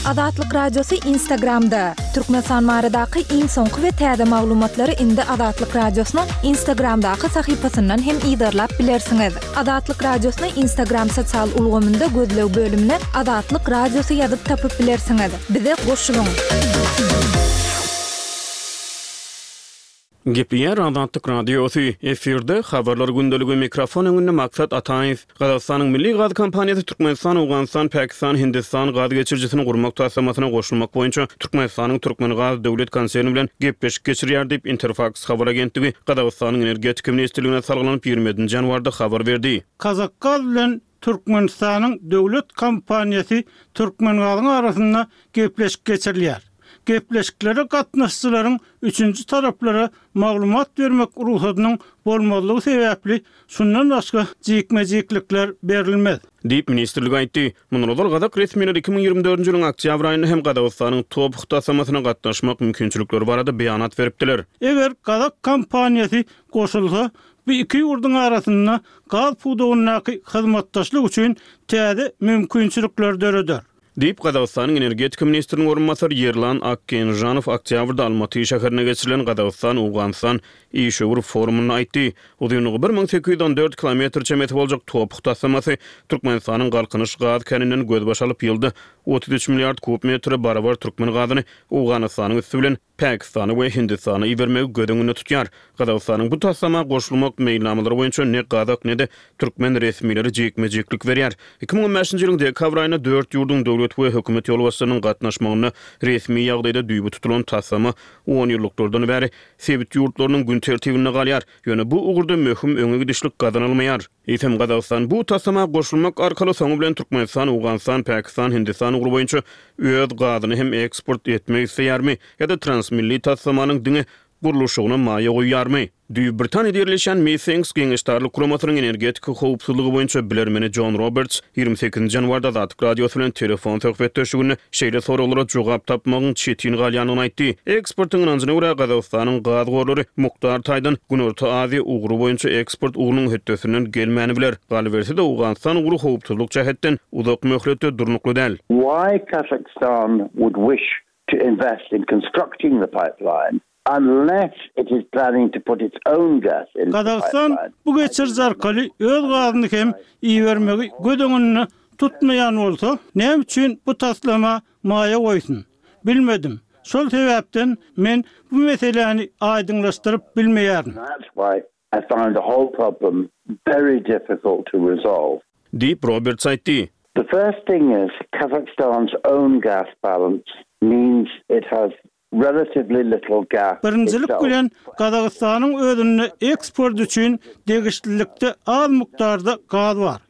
Azatlyk Radiosy Instagramda! Türkmenistan baradaky iň soňky we täze maglumatlary indi Azatlyk Radiosynyň Instagramdaky sahypasyndan hem yzarlap bilersiňiz. Azatlyk Radiosyny Instagram sosial ulgamynda gözleg bölümine Azatlyk Radiosy ýazyp tapyp bilersiňiz. Bize goşulyň! Gepleýär Azatlyk Radiosy, efirde Habarlar gündeligi, mikrofon öňünde Maksat Ataýew. Gazagystanyň milli gaz kompaniýasy Türkmenistan, Owganystan, Pakistan, Hindistan gaz geçirijisini gurmak taslamasyna goşulmak boýunça Türkmenistanyň Türkmengaz döwlet konserni bilen gepleşik geçirýär diýip, Interfaks habar agentligi Gazagystanyň Energetika ministrligine salgylanyp, 27 nji ýanwarda habar berdi. Kazakgaz bilen Türkmenistanyň döwlet kompaniýasy Türkmengazyň arasynda gepleşik geçirilýär. Gepleşiklere gatnaşyjylaryň üçünji taraplara maglumat bermek rugsadynyň bolmazlygy sebäpli, şundan başga jikme-jiklikler berilmez. Diýip, ministrlik aýtdy. Mundan ozal gazak resmileri 2024-nji ýylyň oktýabr aýynda hem Gazagystanyň TOPH taslamasyna gatnaşmak mümkinçilikleri barada beýanat beripdiler. Eger gazak kompaniýasy goşulsa, Bu iki ýurduň arasynda gaz pudagyndaky hyzmatdaşlyk üçin täze mümkinçilikleri döreder. Diýip, Gazagystanyň energetika ministriniň orunbasary Ýerlan Akgenžanow oktýabrda Almaty şäherinde geçirilen Gazagystan-Owganystan işewür forumynda aýtdy. Uzynlygy 1814 kilometr çemesi boljak TOPH taslamasy Türkmenistanyň Galkynyş gaz käninden gözbaş alyp, ýylda 33 milliard kub metre barabar türkmen gazyny Owganystanyň üsti bilen Pakistana we Hindistana ibermegi göz öňünde tutýar. Gazagystanyň bu taslama goşulmak meýilnamalary boýunça ne gazak, ne-de türkmen resmileri jikme-jiklik berýär. 2015-nji ýylyň dekabr aýynda dört ýurduň döwlet we hökümet ýolbaşçylarynyň gatnaşmagynda resmi ýagdaýda düýbi tutulan taslama onýyllyklardan bäri sebit ýurtlarynyň gün tertibinde galýar. Ýöne bu ugurda möhüm öňe gidişlik gazanylmaýar. Eýsem, Gazagystan bu taslama goşulmak arkaly soňy bilen Türkmenistan, Owganystan, Pakistan, Hindistan ugry boýunça öz gazyny hem eksport etmek isleýärmi ýa-da transmilli taslamanyň diňe gurluşygyna maýa goýýarmy? Düýbi Britaniýada ýerleşýän Meethinks geňeşdarlyk guramasynyň energetika howpsuzlygy boýunça bilermeni Jon Roberts 28-nji ýanwarda Azatlyk Radiosy bilen telefon söhbetdeşliginde şeýle soraglara jogap tapmagyň çetin galýandygyny aýtdy. Ekspertiň ynanjyna görä, Gazagystanyň gaz gorlary mukdar taýdan Günorta Aziýa ugry boýunça eksport ugrunyň hötdesinden gelmäni biler. Galyberse-de, Owganystan ugry howpsuzlyk jähetden uzak möhletde durnukly däl. Why Kazakhstan would wish to invest in constructing the pipeline unless it is planning to put its own gas into the Gazagystan pipeline, bu geçiriji arkaly öz gazyny hem ibermegi göz öňünde tutmaýan bolsa, näme üçin bu taslama maýa goýsun? Bilmedim. Şol sebäpden men bu meseläni aýdyňlaşdyryp bilmeýärin. That's why I find the whole problem very difficult to resolve. Diýip, Roberts aýtdy. The first thing is Kazakhstan's own gas balance means it has relatively little gas Birinjilik itself. bilen, Gazagystanyň özünde eksport üçin degişlilikde az mukdarda gaz bar.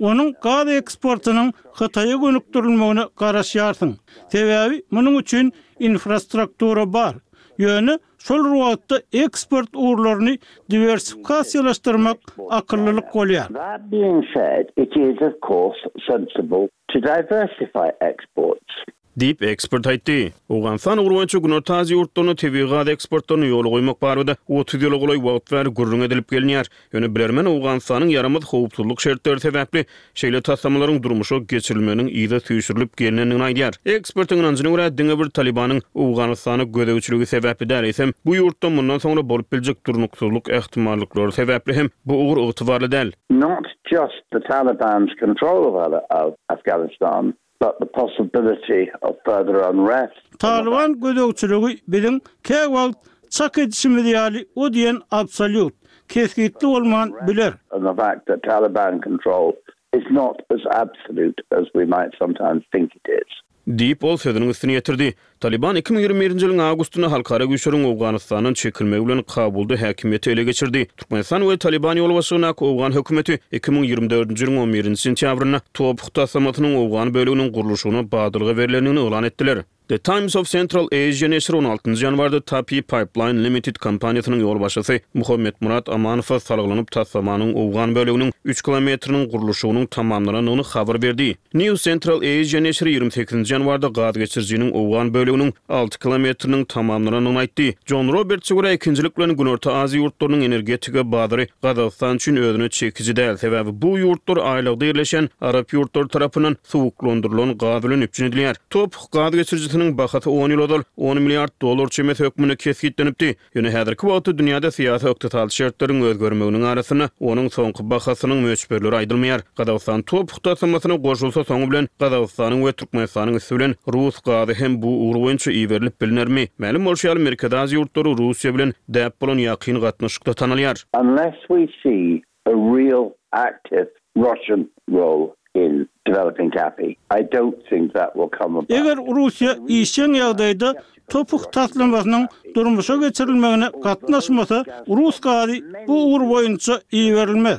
Onuň gaz eksportynyň Hytaýa gönükdirilmegine garaşýarsyň. Sebäbi munuň üçin infrastruktura bar. Ýöne şol bir wagtda eksport ugurlaryny diwersifikasiýalaşdyrmak akyllylyk bolýar. That being said, it is of course sensible to diversify exports. Diýip, ekspert aýtdy. Owganystan ugry boýunça Günorta Aziýa ýurtlaryna tebigy gaz eksportlaryny ýola goýmak barada 30 ýyla golaý wagt bäri gürrüň edilip gelinýär. Ýöne bilermen Owganystanyň ýaramaz howpsuzlyk şertleri sebäpli şeýle taslamalaryň durmuşa geçirilmeginiň yza süýşürilip gelnendigini aýdýar. Ekspertiň ynanjyna görä, diňe bir Talybanyň Owganystana gözegçiligi sebäpli däl, eýsem, bu ýurtda mundan soňra bolup biljek durnuksyzlyk ähtimallyklary sebäpli hem bu ugur ygtybarly däl. Not just the Taliban's control of Afghanistan, but the possibility of further unrest. Talyban gözegçiligi biziň käwagt çak edişimiz ýaly o diýen absolýut, kesgitli bolman biler. And the fact that Taliban control is not as absolute as we might sometimes think it is. Diýip, ol sözüniň üstüni ýetirdi. Talyban 2021-nji ýylyň awgustynda halkara güýçleriň Owganystandan çekilmegi bilen Kabulda häkimiýeti ele geçirdi. Türkmenistan we Talyban ýolbaşçylygyndaky owgan hökümeti 2024-nji ýylyň on birinji sentýabrynda TOPH taslamasynyň owgan böleginiň gurluşygyna badalga berlendigini yglan etdiler. The Times of Central Asia neşiri on altynjy ýanwarda Tapi Pipeline Limited kompaniýasynyň ýolbaşçysy Muhammetmyrat Amanowa salgylanyp, taslamanyň owgan böleginiň üç kilometriniň gurluşygynyň tamamlanandygyny habar berdi. New Central Asia neşiri 28-nji ýanwarda gaz geçirijiniň owgan böleginiň alty kilometriniň tamamlanandygyny aýtdy. Jon Robertse görä, ikinjilik bilen Günorta Aziýa ýurtlarynyň energetika bazary Gazagystan üçin özüne çekiji däl, sebäbi bu ýurtlar aýlagda ýerleşen arap ýurtlary tarapyndan suwuklandyrylan gaz bilen üpjün edilýär. Top gaz geçirijisiniň bahasy on ýyl ozal on milliard dollar çemesi hökmünde kesgitlenipdi. Ýöne häzirki wagtda dünýäde syýasy-ykdysady şertleriň özgermeginiň arasynda onuň soňky bahasynyň möçberleri aýdylmaýar. Gazagystan TOPH taslamasyna goşulsa soňy bilen Gazagystanyň we Türkmenistanyň üsti bilen rus gazy hem bu ugur boýunça iberilip bilnermi? Mälim bolşy ýaly, Merkezi Aziýa ýurtlary Russiýa bilen däp bolan ýakyn gatnaşykda tanalýar. Unless we see a real active Russian role in developing TAPI. I don't think that will come about. Eger Russiýa işjeň ýagdaýda TOPH taslamasynyň durmuşa geçirilmegine gatnaşmasa, rus gazy bu ugur boýunça iberilmez.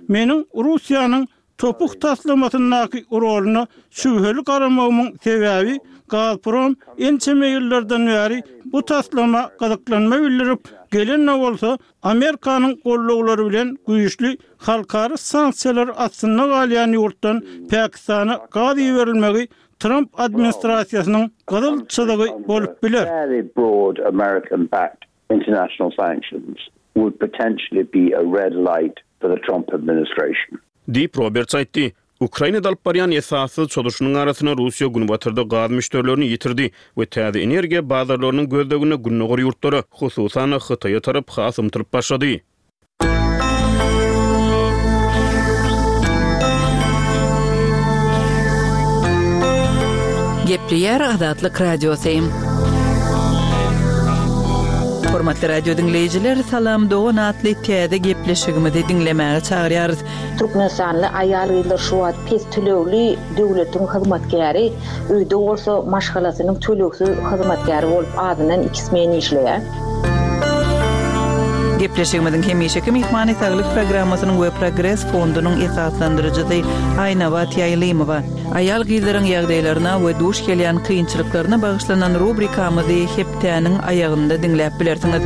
Meniň Russiýanyň TOPH taslamasyndaky roluna şübheli garamagymyň sebäbi, Gazprom ençeme ýyllardan bäri bu taslama gyzyklanma bildirip gelen-de bolsa, Amerikanyň gollawlary bilen güýçli halkara sanksiýalar astynda galýan ýurtdan Pakistana gaz iberilmegi Tramp administrasiýasynyň gyzyl çyzygy bolup biler. Diýip, Roberts aýtdy. Ukrainada alyp barýan esassyz çozuşynyň arasynda Russiýa günbatarda gaz müşderilerini ýitirdi we täze energiýa bazarlarynyň gözleginde gündogar ýurtlara, hususan-da, Hytaýa tarap has ymtylyp başlady. Gepleýär Azatlyk Radiosy. Hormatly radio diňleýjiler, Salam dogan atly täze gepleşigimizi diňlemäge çagyrýarys. Türkmenistanly aýal-gyzlar şu wagt pes tölegli döwletiň hyzmatkäri, öýde bolsa maşgalasynyň tölegsiz hyzmatkäri bolup azyndan iki smen işleýär. Gepleşigimiziň hemişeki myhmany Saglyk programmasynyň we Progres fondunyň esaslandyryjysy Aýnabat Ýaýlymowa. Aýal-gyzlaryň ýagdaýlaryna we duş gelýän kynçylyklaryna bagyşlanan rubrikamyzy hepdäniň aýagynda diňläp bilersiňiz.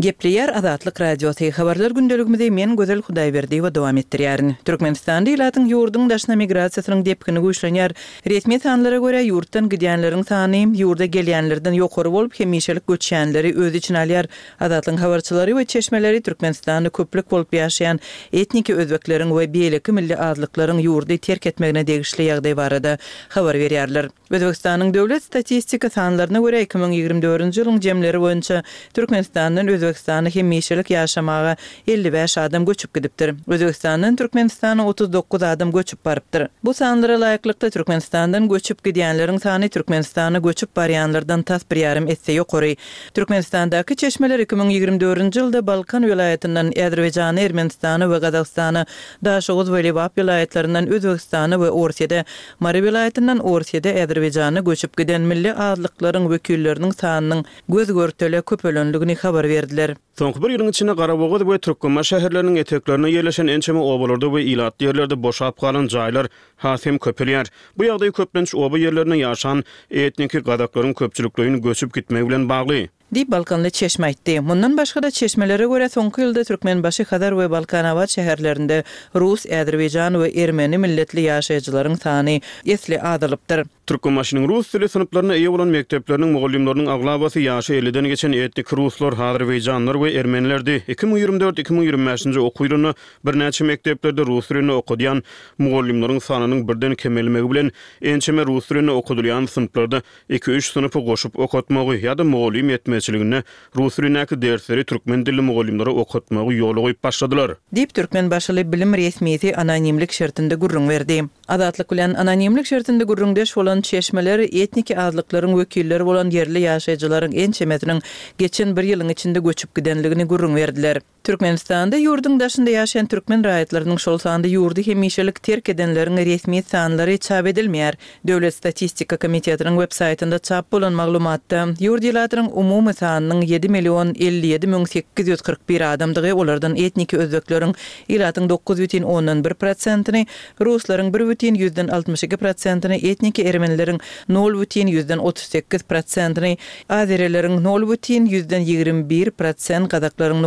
Gepleýär Azatlyk Radiosy, Habarlar gündeligimizi men Gözel Hudaýberdiýewa dowam etdirýärin. Türkmenistanda ilatyň ýurduň daşyna migrasiýasynyň depgini güýçlenýär. Resmi sanlara görä, ýurtdan gidýänleriň sany ýurda gelýänlerden ýokary bolup, hemişelik göçýänleri öz içine alýar. Azatlygyň habarçylary we çeşmeleri Türkmenistanda köplük bolup ýaşaýan etniki özbekleriň we beýleki milli azlyklaryň ýurdy terk etmegine degişli ýagdaý barada habar berýärler. Özbegistanyň döwlet statistika sanlaryna görä, 2024-nji ýylyň jemleri boýunça Türkmenistandan Özbegistana hemişelik ýaşamaga 55 adam göçüp gidipdir. Özbegistandan Türkmenistana 39 adam göçüp barypdyr. Bu sanlara laýyklykda, Türkmenistandan göçüp gidýänleriň sany Türkmenistana göçüp barýanlardan tas bir ýarym esse ýokary. Türkmenistandaky çeşmeler 2024-nji ýylda Balkan welaýatyndan Azerbaýjana, Ermenistana we Gazagystana, Daşoguz we Lebap welaýatlaryndan Özbegistana we Orsýede, Mary welaýatyndan Orsýede, Azerbaýjana göçüp giden milli azlyklaryň wekilleriniň sanynyň göz-görtele köpelendigini habar berdiler. Soňky bir ýylyň içinde Garabogaz we Türkmenbaşy şäherleriniň eteklerinde ýerleşen ençeme obalarda we ilatly ýerlerde boşap galan jaýlar has hem köpelýär. Bu ýagdaý köplenç oba ýerlerinde ýaşan etniki gazaklaryň köpçülikleýin göçüp gitmegi bilen bagly. Diýip, balkanly çeşme aýtdy. Mundan başga-da, çeşmelere görä, soňky ýylda Türkmenbaşy, Hazar we Balkanabat şäherlerinde rus, azerbaýjan we ermeni milletli ýaşaýjylaryň sany esli azalypdyr. Türkmenbaşynyň rus dili synplaryna eýe bolan mekdepleriniň mugallymlarynyň aglabasy ýaşy elliden geçen etniki ruslar, azerbaýjanlar we ermenilerdi. 2024, 2025-nji okuw ýylynda birnäçe mekdeplerde rus dilinde okadýan mugallymlaryň sanynyň birden kemelmegi bilen, ençeme rus dilinde okadylýan synplarda Iki-üç synpy goşup okatmagy ýa-da mugallym ýetmezçiliginde rus dilindäki dersleri türkmen dilli mugallymlara okatmagy ýola goýup başladylar. Diýip, türkmenbaşyly bilim resmisi anonimlik şertinde gürrüň berdi. Azatlyk bilen anonimlik şertinde gürrüňdeş bolan. bolan çeşmeler etniki azlyklaryň wekilleri bolan ýerli ýaşaýjylaryň ençemesiniň geçen bir ýylyň içinde göçüp gidenligini gürrüň berdiler. Türkmenistanda ýurduň daşynda ýaşaýan türkmen raýatlarynyň, şol sanda ýurdy hemişelik terk edenleriň resmi sanlary çap edilmeýär. Döwlet statistika komitetiniň websaýtynda çap bolan maglumatda, ýurt ilatynyň umumy sanynyň ýedi million 57 841 adamdygy, olardan etniki özbekleriň ilatyň 9,1 prosentini, ruslaryň 1,62 prosentini, etniki ermenileriň 0,38 prosentini, azerileriň 0,21 prosent, gazaklaryň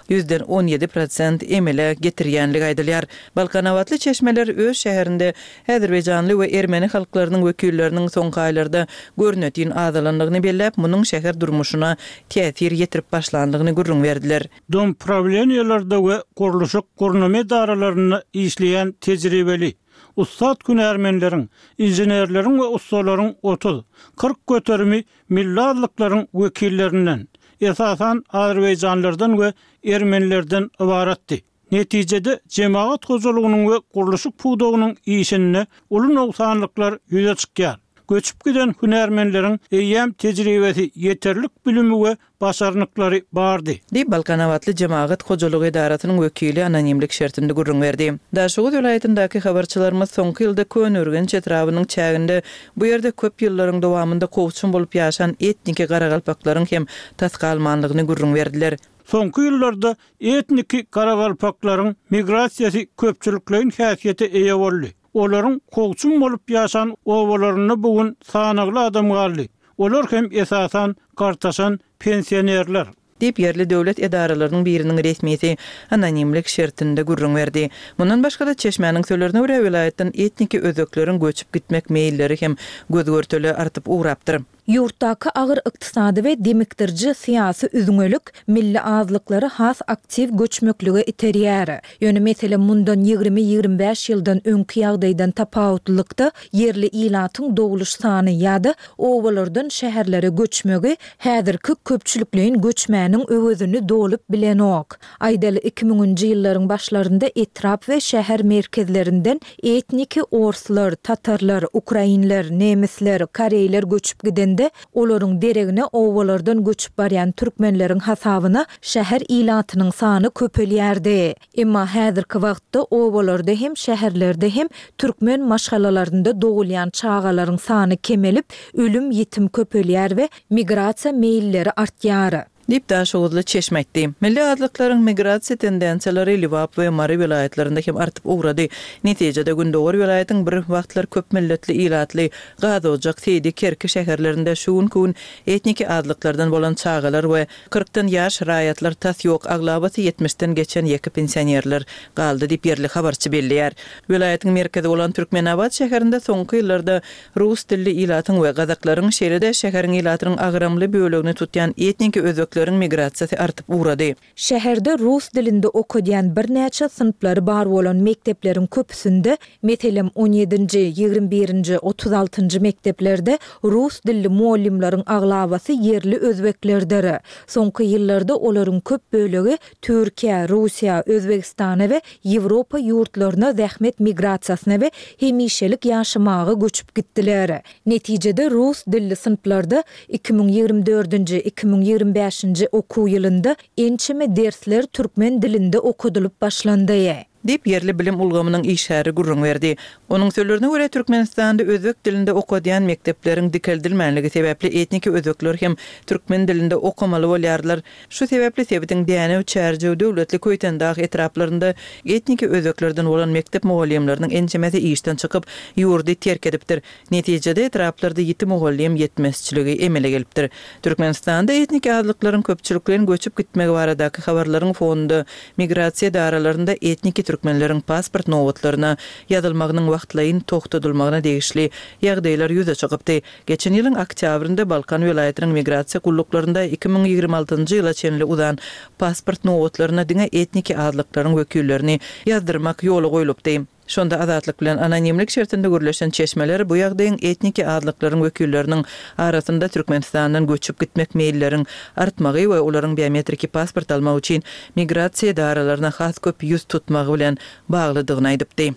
0,17 prosent emele getirýänligi aýdylýar. Balkanabatly çeşmeler öz şäherinde Azerbaýjanly we ermeni halklarynyň wekilleriniň soňky aýlarda görnetin azalandygyny belläp, munuň şäher durmuşyna täsir ýetirip başlandygyny gürrüň berdiler. Domprawleniýelerde we gurluşyk gurnama edaralarynda işleýän tejribeli, ussat hünärmenleriň, inženerleriň we ussalaryň 30, 40 göterimi milli azlyklaryň wekillerinden, esasan, azerbaýjanlardan we ermenilerden ybaratdy. Netijede, jemagat hojalygynyň we gurluşyk pudagynyň işinde uly nogsanlyklar ýüze çykýar. Göçüp giden hünärmenleriň eýýäm tejribesi, ýeterlik bilimi we başarnyklary bardy. Diýip, Balkanabatly jemagat hojalygy edarasynyň wekili anonimlik şertinde gürrüň berdi. Daşoguz welaýatyndaky habarçylarymyz soňky ýylda Köneürgenç etrabynyň çäginde bu ýerde köp ýyllaryň dowamynda kowçum bolup ýaşan etniki garagalpaklaryň hem tas galmanlygyny gürrüň berdiler. Soňky ýyllarda Etniki garagalpaklaryň migrasiýasy köpçülikleýin häsiýete eýe boldy. Olaryň kowçum bolup ýaşan obalarynda bu gün sanagly adam galdy. Olar hem esasan gartaşan pensionerler. Diýip, ýerli döwlet edaralarynyň biriniň resmisi anonimlik şertinde gürrüň berdi. Mundan başga-da, çeşmäniň sözlerine görä, welaýatdan etniki özbekleriň göçüp gitmek meýilleri hem göz-görtele artyp ugrapdyr. Ýurtdaky agyr ykdysady we demikdiriji syýasy üzňelik milli azlyklary has aktiw göçmeklige iterýär. Ýöne mesele mundan ýigrimi-ýigrimi bäş ýyldan öňki ýagdaýdan tapawutlylykda ýerli ilatyň dogluş sany ýa-da obalardan şäherlere göçmegi häzirki köpçülikleýin göçmäniň öwezini dolup bilenok. Aýdaly, iki müňünji ýyllaryň başlarynda etrap we şäher merkezlerinden etniki orslar, tatarlar, ukrainler, nemisler, koreýler göçüp gidende, olaryň deregine obalardan göçüp barýan türkmenleriň hasabyna şäher ilatynyň sany köpelýärdi. Emma häzirki wagtda obalarda hem, şäherlerde hem türkmen maşgalalarynda dogulýan çagalaryň sany kemelip, ölüm-ýitim köpelýär we migrasiýa meýilleri artýar. Diýip, daşoguzly çeşme aýtdy. Milli azlyklaryň migrasiýa tendensiýalary Lebap we Mary welaýatlarynda hem artyp ugrady. Netijede, gündogar welaýatyň bir wagtlar köp milletli ilatly Gazojak, Seýdi, Kerki şäherlerinde şu günki gün etniki azlyklardan bolan çagalar we kyrkdan ýaş raýatlar tas ýok, aglabasy ýetmişden geçen ýeke pensionerler galdy diýip, ýerli habarçy belleýär. Welaýatyň merkezi bolan Türkmenabat şäherinde soňky ýyllarda Rus dilli ilatyň we gazaklaryň, şeýle-de şäheriň ilatynyň agramly bölegini tutýan etniki özbekleriň migrasiýasy artyp ugrady. Şäherde rus dilinde okadýan birnäçe synplary bar bolan mekdepleriň köpüsinde, meselem, on ýedinji, 21 birinji, 36 njy mekdeplerde rus dilli mugallymlaryň aglabasy ýerli özbeklerdir. Soňky ýyllarda olaryň köp bölegi Türkiýä, Russiýa, Özbegistana we Ýewropa ýurtlaryna zähmet migrasiýasyna we hemişelik ýaşamaga göçüp gitdiler. Netijede rus dilli synplarda 2024-nji, 2025-nji okuw ýylynda ençeme dersler türkmen dilinde okadylyp başlandy. Diýip, ýerli bilim ulgamynyň işgäri gürrüň berdi. Onuň sözlerine görä, Türkmenistanda özbek dilinde okadýan mekdepleriň dikeldilmänligi sebäpli etniki özbekler hem türkmen dilinde okamaly bolýarlar. Şu sebäpli sebitiň Dänew, Çärjew, Döwletli, Köýtendag etraplarynda etniki özbeklerden bolan mekdep mugallymlarynyň ençemesi işden çykyp, ýurdy terk edipdir. Netijede, etraplarda ýiti mugallym ýetmezçiligi emele gelipdir. Türkmenistanda etniki azlyklaryň köpçülikleýin göçüp gitmegi baradaky habarlaryň fonunda migrasiýa edaralarynda etniki türkmenleriň pasport nobatlaryna ýazylmagynyň wagtlaýyn togtadylmagyna degişli ýagdaýlar ýüze çykypdy. Geçen ýylyň oktýabrynda Balkan welaýatynyň migrasiýa gulluklarynda 2026-njy ýyla çenli uzan pasport nobatlaryna diňe etniki azlyklaryň wekillerini ýazdyrmak ýola goýlupdy. Şonda Azatlyk bilen anonimlik şertinde gürleşen çeşmeler bu ýagdaýyň etniki azlyklaryň wekilleriniň arasynda Türkmenistandan göçüp gitmek meýilleriň artmagy we olaryň biometriki pasport almak üçin migrasiýa edaralaryna has köp ýüz tutmagy bilen baglydygyny aýdypdy.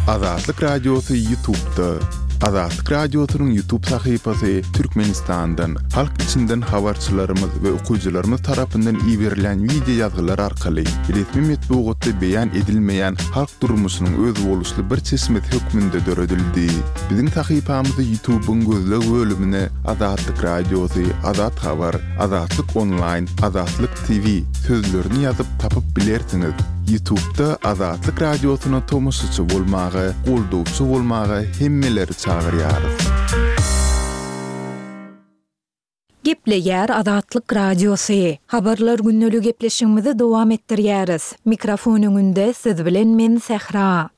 Azatlyk Radiosy Ýutubda. Azatlyk Radiosynyň Ýutub sahypasy Türkmenistandan, halk içinden habarçylarymyz we okyjylarymyz tarapyndan iberilýän wideo ýazgylar arkaly resmi metbugatda beýan edilmeýän halk durmuşynyň özboluşly bir çeşmesi hökmünde döredildi. Biziň sahypamyzy Ýutubyň gözleg bölümine Azatlyk Radiosy, Azat Habar, Azatlyk Onlaýn, Azatlyk TV sözlerini ýazyp tapyp bilersiňiz. Ýutubda Azatlyk Radiosyna tomaşaçy bolmaga, goldawçy bolmaga hemmeleri çagyrýarys. Gepleýär Azatlyk Radiosy. Habarlar gündeli gepleşigimizi dowam etdirýäris. Mikrofon öňünde siz bilen men Sähra.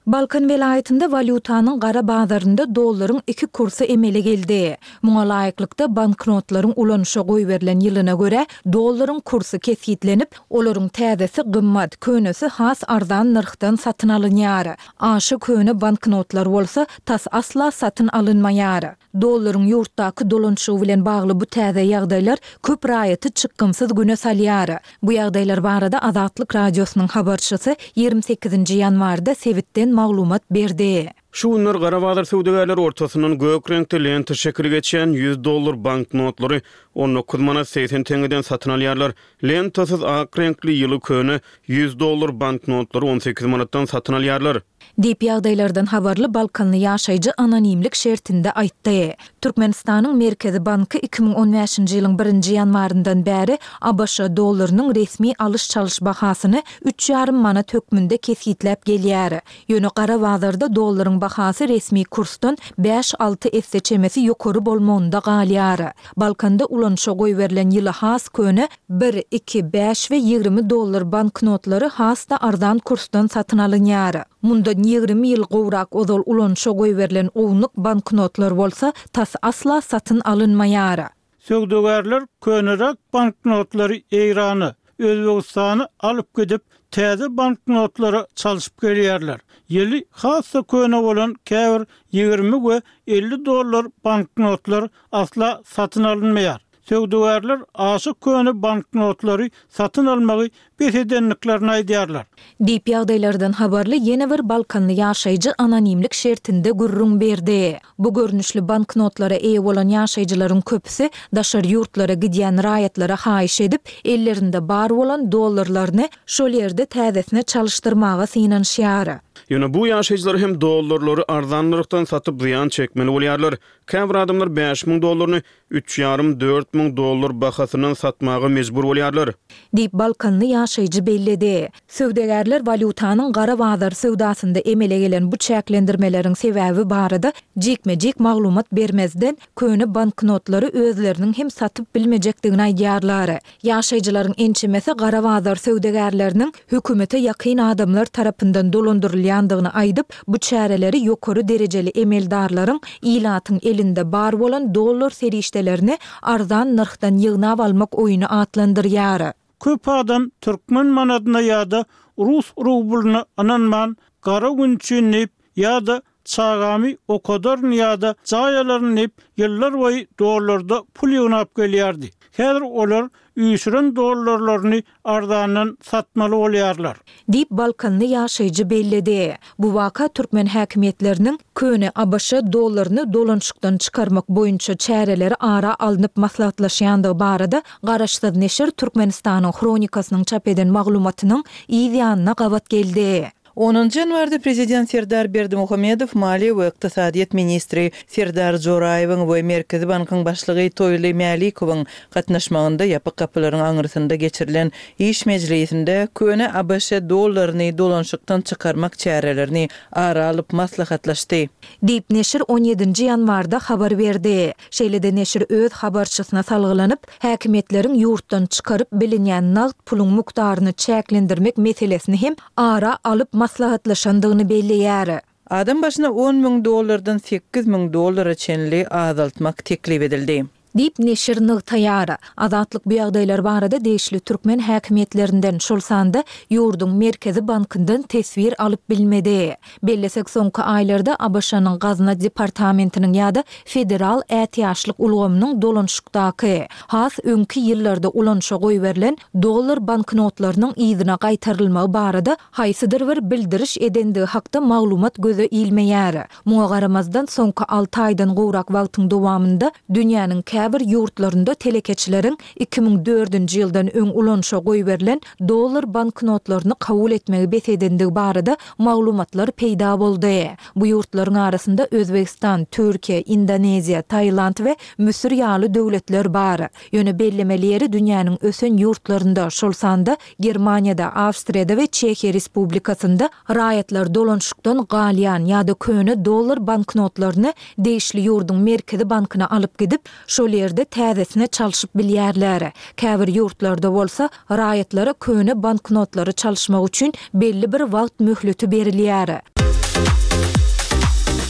Balkan welaýatynda walýutanyň gara bazarynda dollaryň iki kursy emele geldi. Muňa laýyklykda, banknotlaryň ulanyşa goýberilen ýylyna görä, dollaryň kursy kesgitlenip, olaryň täzesi gymmat, könesi has arzan nyrhdan satyn alynýar. Aşa köne banknotlar bolsa, tas asla satyn alynmaýar. Dollaryň ýurtdaky dolanyşygy bilen bagly bu täze ýagdaýlar köp raýaty çykgynsyz güne salýar. Bu ýagdaýlar barada Azatlyk Radiosynyň habarçysy 28-nji ýanwarda sebitden maglumat berdi. Şu günler gara bazar söwdagärleri ortasyndan gök reňkde lenta şekili geçýän 100 dollar banknotlary 19 manat 80 teňňeden satyn alýarlar. Lentasyz ak reňkli ýyly köne 100 dollar banknotlary 18 manatdan satyn alýarlar. Diýip, ýagdaýlardan habarly balkanly ýaşaýjy anonimlik şertinde aýtdy. Türkmenistanyň Merkezi banky 2015-nji ýylyň birinji ýanwaryndan bäri ABŞ dollarynyň resmi alyş-çalyş bahasyny üç ýarym manat hökmünde kesgitläp gelýär. Ýöne gara bazarda dollaryň bahasy resmi kursdan bäş-alty esse çemesi ýokary bolmagynda galýar. Balkanda ulanyşa goýberilen ýyly has köne bir, iki, bäş we 20 dollar banknotlary has-da arzan kursdan satyn alynýar. Mundan 20 ýyl gowrak ozal ulanyşa goýberilen ownuk banknotlar bolsa tas asla satyn alynmaýar. Söwdagärler köneräk banknotlary Eýrana, Özbegistana alyp gidip, täze banknotlara çalşyp gelýärler. Ýyly has-da köne bolan käbir 20 we 50 dollar banknotlar asla satyn alynmaýar. Söwdagärler aşa köne banknotlary satyn almagy bes edendiklerini aýdýarlar. Diýip, ýagdaýlardan habarly ýene bir balkanly ýaşaýjy anonimlik şertinde gürrüň berdi. Bu görnüşli banknotlara eýe bolan ýaşaýjylaryň köpüsi daşary ýurtlara gidýän raýatlara haýyş edip, ellerinde bar bolan dollarlaryny şol ýerde täzesine çalyşdyrmaga synanyşýar. Ýöne bu ýaşaýjylar hem dollarlary arzan nyrhdan satyp zyýan çekmeli bolýarlar. Käbir adamlar 5000 dollaryny üç ýarym, 4000 dollar bahasyndan satmaga mejbur bolýarlar. Diýip, balkanly ýaşaýjy belledi. Söwdagärler walýutanyň gara bazar söwdasynda emele gelen bu çäklendirmeleriň sebäbi barada jikme-jik maglumat bermezden, köne banknotlary özleriniň hem satyp bilmejekdigini aýdýarlar. Ýaşaýjylaryň ençemesi gara bazar söwdagärleriniň hökümete ýakyn adamlar tarapyndan dolandyrylýandygyny aýdyp, bu çäreleri ýokary derejeli emeldarlaryň ilatyň elinde bar bolan dollar serişdelerini arzan nyrhdan ýygnap almak oýny atlandyrýar. Köp adam türkmen manadyna ýa-da rus rublyna ynanman, gara gün üçin diýip, ýa-da çagamy okadaryn ýa-da jaý alaryn diýip, ýyllar boýy dollarda pul ýygnap gelýärdi. Häzir olar üýşüren dollarlaryny arzandan satmaly bolýarlar. Diýip, balkanly ýaşaýjy belledi. Bu waka türkmen häkimiýetleriniň köne abş dollaryny dolanyşykdan çykarmak boýunça çäreleri ara alnyp maslahatlaşýandygy barada garaşsyz neşir Türkmenistanyň Hronikasynyň çap eden maglumatynyň yz ýanyna gabat geldi. Onunjy ýanwarda Prezident Serdar Berdimuhamedow maliýe we ykdysadyýet ministri Serdar Joraýewiň we Merkezi bankyň başlygy Toýly Mälikowyň gatnaşmagynda ýapyk gapylaryň aňyrsynda geçirilen iş mejlisinde köne abş dollaryny dolanyşykdan çykarmak çärelerini ara alyp maslahatlaşdy. Diýip, neşir on ýedinji ýanwarda habar berdi. Şeýle-de neşir öz habarçysyna salgylanyp, häkimiýetleriň ýurtdan çykaryp bilinýän nagt puluň mukdaryny çäklendirmek meselesini hem ara alyp maslahatlaşandygyny belleýär. Adam başyna 10 müň dollardan 8000 dollara çenli azaltmak teklip edildi. Diýip, neşir nygtaýar. Azatlyk bu ýagdaýlar barada degişli türkmen häkimiýetlerinden, şol sanda ýurduň Merkezi bankyndan teswir alyp bilmedi. Bellesek, soňky aýlarda ABŞ-nyň Gazna departamentiniň ýa-da Federal ätiýaçlyk ulgamynyň dolanyşykdaky, has öňki ýyllarda ulanyşa goýberilen dollar banknotlarynyň yzyna gaýtarylmagy barada haýsydyr bir bildiriş edendigi hakda maglumat göze ilmeýär. Muňa garamazdan, soňky alty aýdan gowrak wagtyň dowamynda dünýäniň käbir ýurtlarynda telekeçileriň 2004-nji ýyldan öň ulanyşa goýberilen dollar banknotlaryny kabul etmegi bes edendigi barada maglumatlar peýda boldy. Bu ýurtlaryň arasynda Özbegistan, Türkiýe, Indoneziýa, Tailand we Müsür ýaly döwletler bar. Ýöne bellemeli ýeri dünýäniň ösen ýurtlarynda, şol sanda Germaniýada, Awstriýada we Çehiýa Respublikasynda raýatlar dolanyşykdan galýan ýa-da köne dollar banknotlaryny degişli ýurduň Merkezi bankyna alyp gidip, şol ýerde täzesine çalşyp bilýärler. Käbir ýurtlarda bolsa, raýatlara köne banknotlary çalyşmak üçin belli bir wagt möhleti berilýär.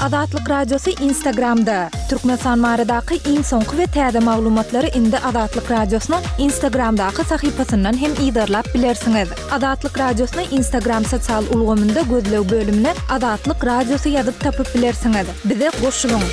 Azatlyk Radiosy Instagramda, Türkmenistan baradaky iň soňky we täze maglumatlary indi Azatlyk Radiosynyň Instagramdaky sahypasyndan hem yzarlap bilersiňiz. Azatlyk Radiosyny Instagram sosial ulgamynda gözleg bölümine Azatlyk Radiosy ýazyp tapyp bilersiňiz. Bize goşulyň!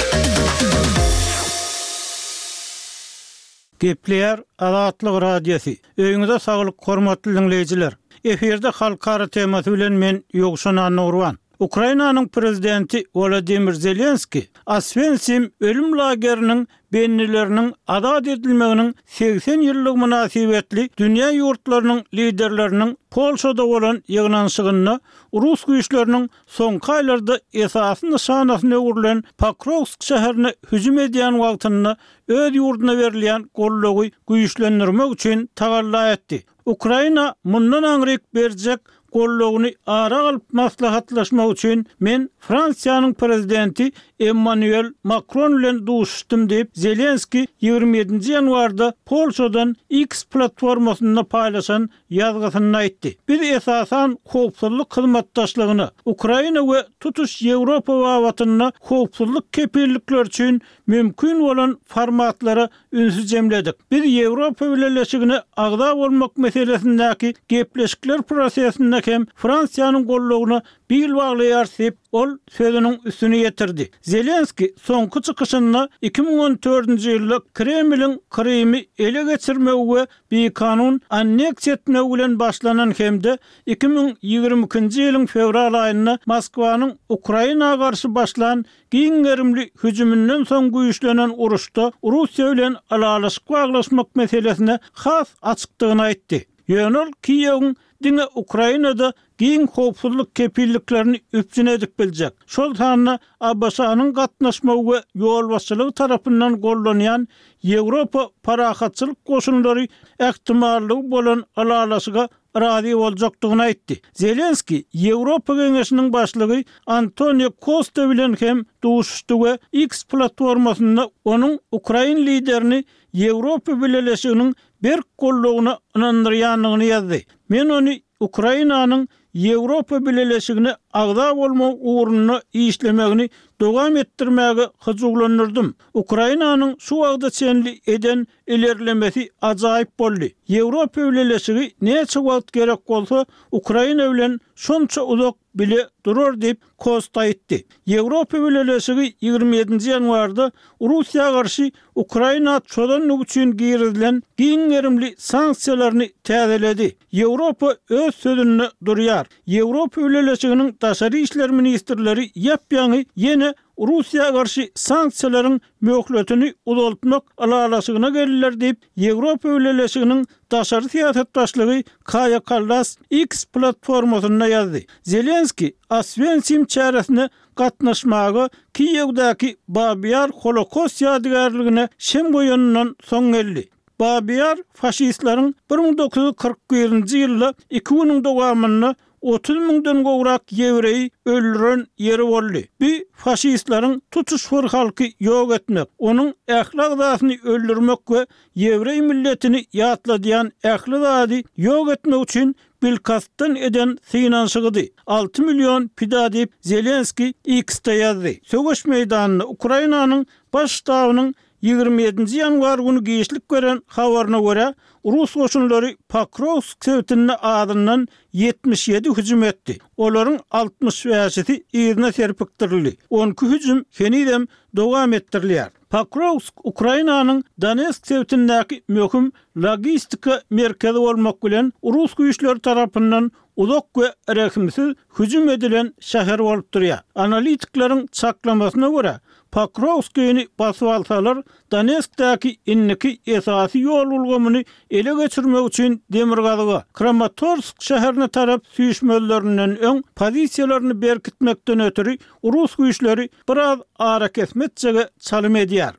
Gepleýär Azatlyk Radiosy. Öýüňize saglyk hormatly diňleýjiler. Efirde halkara temasy bilen men Ýowşan Annagurban. Ukrainanyň prezidenti Wolodymyr Zelenskiý Oswensim ölüm lageriniň bendileriniň azat edilmeginiň 80 ýyllygy mynasybetli dünýä ýurtlarynyň liderleriniň Polşada bolan ýygnanyşygynda rus güýçleriniň soňky aýlarda esasy nyşanasyna öwrülen Pokrowsk şäherine hüjüm edýän wagtynda öz ýurduna berilýän goldawy güýçlendirmek üçin tagalla etdi. Ukraina mundan aňryk berjek goldawyny ara alyp maslahatlaşmak üçin men Fransiýanyň prezidenti Emmanuel Makron bilen duşuşdym diýip, Zelenskiý 27-nji ýanwarda Polşadan X platformasynda paýlaşan ýazgysynda aýtdy. Biz esasan howpsuzlyk hyzmatdaşlygyna, Ukraina we tutuş Ýewropa babatynda howpsuzlyk kepillikleri üçin mümkin bolan formatlara ünsi jemledik. Biz Ýewropa Bileleşigine agza bolmak meselesindäki gepleşikler prosesinde hem Fransiýanyň goldawyna bil baglaýarys diýip, ol sözüniň üstüni ýetirdi. Zelenskiý soňky çykyşynda 2014-nji ýylda Kremliň Krymy ele geçirmegi we bikanun anneksiýa etmegi bilen başlanan hem-de 2022-nji ýylyň fewral aýynda Moskwanyň Ukraina garşy başlan Giň gerimli hüjüminden soň güýçlenen uruşda Russiýa bilen ylalaşyk baglaşmak meselesine has açykdygyny aýtdy. Ýöne ol Kiýewiň diňe Ukrainada giň howpsuzlyk kepilliklerini üpjün edip biljek, şol sanda ABŞ-nyň gatnaşmagy we ýolbaşçylygy tarapyndan goldanýan Ýewropa parahatçylyk goşunlary ähtimallygy bolan ylalaşyga razy boljakdygyny aýtdy. Zelenskiý Ýewropa Geňeşiniň başlygy Antonio Kosta bilen hem duşuşdy we X platformasynda onuň ukrain liderini Ýewropa Bileleşiginiň berk goldawyna ynandyrýandygyny ýazdy. Men ony Ukrainanyň Ýewropa Bileleşigine agza bolmagy ugrunda işlemegini dowam etdirmäge hyjuwlandyrdym. Ukrainanyň şu wagta çenli eden ilerlemesi ajaýyp boldy. Ýewropa Bileleşigi näçe wagt gerek bolsa, Ukraina bilen şonça uzak bile durar diýip, Kosta aýtdy. Ýewropa Bileleşigi 27-nji ýanwarda Russiýa garşy Ukraina çozandygy üçin girizilen giň gerimli sanksiýalaryny täzeledi. Ýewropa öz sözünde durýar. Ýewropa Bileleşiginiň daşary işler ministrleri ýap-ýaňy ýene Russiýa garşy sanksiýalaryň möhletini uzaltmak ylalaşygyna geldiler diýip, Ýewropa Bileleşiginiň daşary syýasat başlygy Kaýa Kallas X platformasynda ýazdy. Zelenskiý Oswensim çäresine gatnaşmaga Kiýewdäki Babi Ýar Holokost ýadygärligine şem goýanyndan soň geldi. Babi Ýar faşistleriň 1941-nji ýylda iki günüň dowamynda 30 müňden gowrak ýewreýi öldüren ýeri boldy. Bu faşistleriň tutuş bir halky ýok etmek, onuň ähli agzasyny öldürmek we ýewreý milletini ýatladýan ähli zady ýok etmek üçin bilkastdan eden synanyşygydy. Alty million pida diýip, Zelenskiý X-de ýazdy. Söweş meýdanynda Ukrainanyň Baş ştabynyň. 27-nji ýanwar güni giçlik beren habaryna görä, rus goşunlary Pokrowsk sebitinde azyndan 77 hüjüm etdi. Olaryň 65-si yzyna serpikdirildi. On iki hüjüm henizem dowam etdirilýär. Pokrowsk Ukrainanyň Donetsk sebitindäki möhüm logistika merkezi bolmak bilen, rus güýçleri tarapyndan uzak we rehimsiz hüjüm edilen şäher bolup durýar. Analitikleriň çaklamasyna görä, Pokrowskini basyp alsalar, Donetskdäki indiki esasy ýol ulgamyny ele geçirmek üçin demirgazyga, Kramatorsk şäherine tarap süýşmezlerinden öň pozisiýalaryny berkitmekden ötri rus güýçleri biraz arakesme etjege çalym edýär.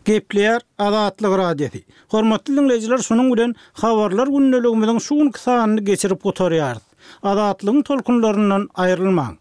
Gepleýär Azatlyk Radiosy. Hormatly diňleýjiler şunuň bilen Habarlar gündeligimiziň şu günki sanyny geçirip gutarýarys. Azatlygyň tolkunlaryndan aýrylmaň.